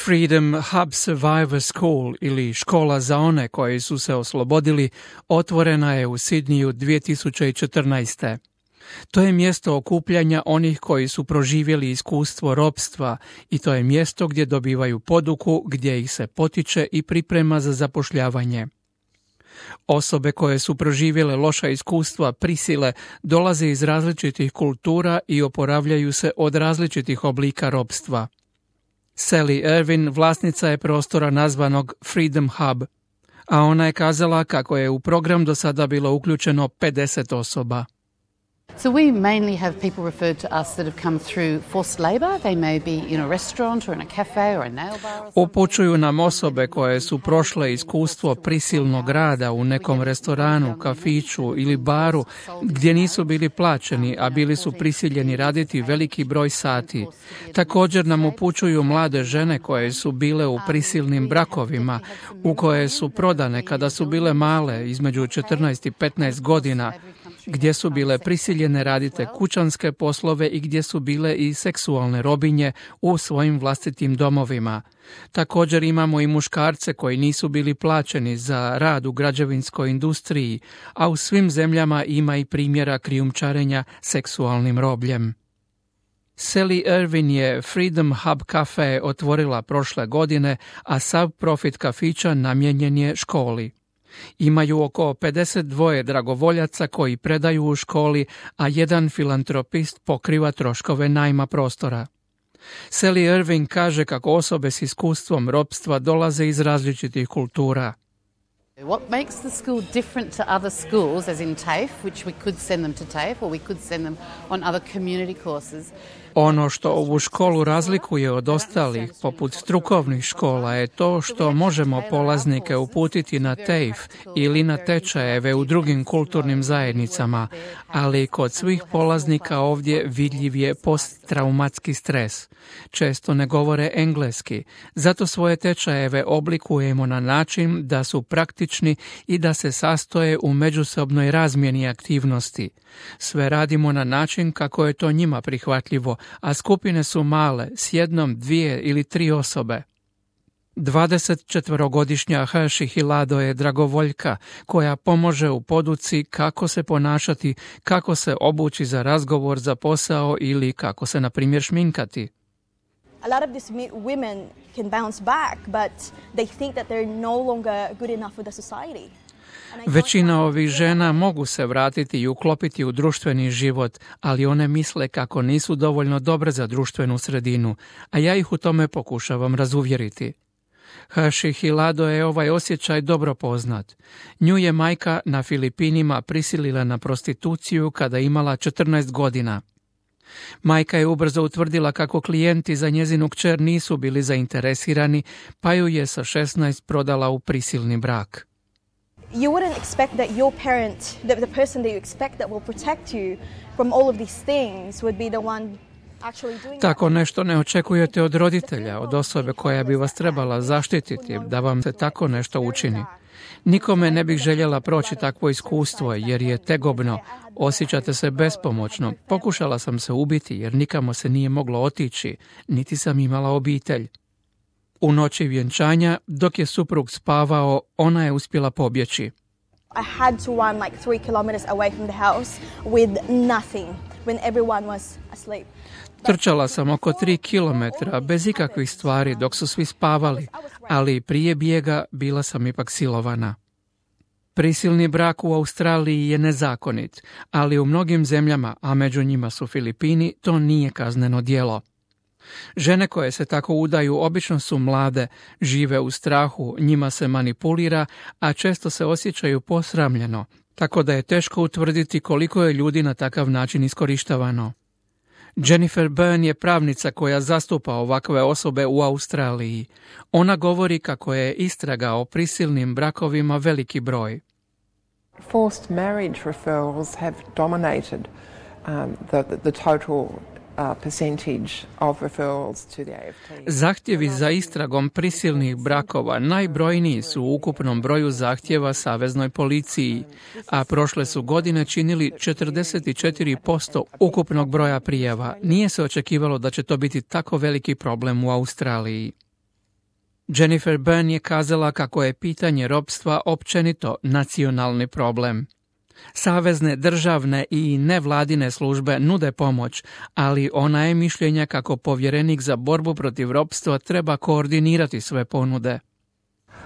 Freedom Hub Survivor School ili škola za one koji su se oslobodili otvorena je u Sidniju 2014. To je mjesto okupljanja onih koji su proživjeli iskustvo ropstva i to je mjesto gdje dobivaju poduku, gdje ih se potiče i priprema za zapošljavanje. Osobe koje su proživjele loša iskustva prisile dolaze iz različitih kultura i oporavljaju se od različitih oblika ropstva. Sally Irvin vlasnica je prostora nazvanog Freedom Hub, a ona je kazala kako je u program do sada bilo uključeno 50 osoba. So we mainly have people referred to us that have come through forced labor. They may be in a restaurant or in a cafe or a nail bar. Upućuju nam osobe koje su prošle iskustvo prisilnog rada u nekom restoranu, kafiću ili baru gdje nisu bili plaćeni, a bili su prisiljeni raditi veliki broj sati. Također nam upućuju mlade žene koje su bile u prisilnim brakovima, u koje su prodane kada su bile male, između 14 i 15 godina, gdje su bile prisiljene raditi kućanske poslove i gdje su bile i seksualne robinje u svojim vlastitim domovima. Također imamo i muškarce koji nisu bili plaćeni za rad u građevinskoj industriji, a u svim zemljama ima i primjera krijumčarenja seksualnim robljem. Sally Irvin je Freedom Hub Cafe otvorila prošle godine, a sav profit kafića namijenjen je školi. Imaju oko 52 dragovoljaca koji predaju u školi, a jedan filantropist pokriva troškove najma prostora. Sally Irvin kaže kako osobe s iskustvom ropstva dolaze iz različitih kultura. What makes the school different to other schools, as in TAFE, which we could send them to TAFE or we could send them on other community courses? Ono što ovu školu razlikuje od ostalih, poput strukovnih škola, je to što možemo polaznike uputiti na TAFE ili na tečajeve u drugim kulturnim zajednicama, ali kod svih polaznika ovdje vidljiv je posttraumatski stres. Često ne govore engleski, zato svoje tečajeve oblikujemo na način da su praktični i da se sastoje u međusobnoj razmjeni aktivnosti. Sve radimo na način kako je to njima prihvatljivo, a skupine su male, s jednom, 2 ili 3 osobe. 24-godišnja Hershey Hilado je dragovoljka koja pomože u poduci kako se ponašati, kako se obući za razgovor za posao ili kako se, na primjer, šminkati. A lot of these women can bounce back, but they think that they're no longer good enough for the society. Većina ovih žena mogu se vratiti i uklopiti u društveni život, ali one misle kako nisu dovoljno dobre za društvenu sredinu, a ja ih u tome pokušavam razuvjeriti. Hershey Hilado je ovaj osjećaj dobro poznat. Nju je majka na Filipinima prisilila na prostituciju kada imala 14 godina. Majka je ubrzo utvrdila kako klijenti za njezinu kćer nisu bili zainteresirani, pa ju je sa 16 prodala u prisilni brak. You wouldn't expect that your parent, the person that you expect that will protect you from all of these things would be the one actually doing Tako nešto ne očekujete od roditelja, od osobe koja bi vas trebala zaštititi, da vam se tako nešto učini. Nikome ne bih željela proći takvo iskustvo jer je tegobno, osjećate se bespomoćno. Pokušala sam se ubiti jer nikamo se nije moglo otići, niti sam imala obitelj. U noći vjenčanja, dok je suprug spavao, ona je uspjela pobjeći. I had to run like 3 kilometers away from the house with nothing when everyone was asleep. Trčala sam oko 3 kilometra bez ikakvih stvari dok su svi spavali, ali prije bijega bila sam ipak silovana. Prisilni brak u Australiji je nezakonit, ali u mnogim zemljama, a među njima su Filipini, to nije kazneno djelo. Žene koje se tako udaju obično su mlade, žive u strahu, njima se manipulira, a često se osjećaju posramljeno, tako da je teško utvrditi koliko je ljudi na takav način iskorištavano. Jennifer Byrne je pravnica koja zastupa ovakve osobe u Australiji. Ona govori kako je istraga o prisilnim brakovima veliki broj. Forced marriage referrals have dominated the total percentage of referrals to the AFT. Zahtjevi za istragom prisilnih brakova najbrojniji su u ukupnom broju zahtjeva saveznoj policiji, a prošle su godine činili 44% ukupnog broja prijava. Nije se očekivalo da će to biti tako veliki problem u Australiji. Jennifer Byrne je kazala kako je pitanje ropstva općenito nacionalni problem. Savezne, državne i nevladine službe nude pomoć, ali ona je mišljenja kako povjerenik za borbu protiv ropstva treba koordinirati sve ponude.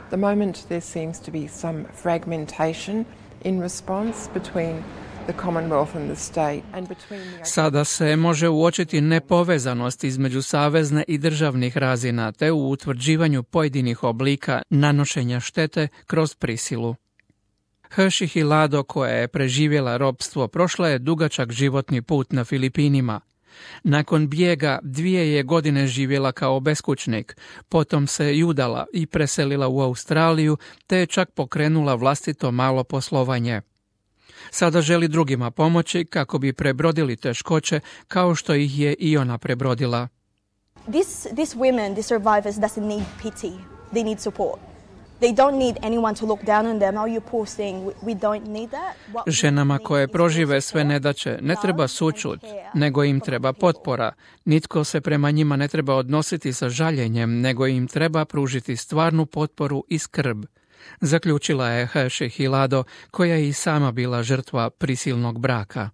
The moment there seems to be some fragmentation in response between the Commonwealth and the state and between the... Sada se može uočiti nepovezanost između savezne i državnih razina te u utvrđivanju pojedinih oblika nanošenja štete kroz prisilu. Hershey Hilado, koja je preživjela ropstvo, prošla je dugačak životni put na Filipinima. Nakon bijega 2 je godine živjela kao beskućnik, potom se udala i preselila u Australiju, te je čak pokrenula vlastito malo poslovanje. Sada želi drugima pomoći kako bi prebrodili teškoće kao što ih je i ona prebrodila. These women, these survivors, doesn't need pity. They need support. They don't need anyone to look down on them. Oh, you poor thing. We don't need that. Ženama koje prožive sve nedaće ne treba sućut, nego im treba potpora. Nitko se prema njima ne treba odnositi sa žaljenjem, nego im treba pružiti stvarnu potporu i skrb. Zaključila je Hershey Hilado, koja je i sama bila žrtva prisilnog braka.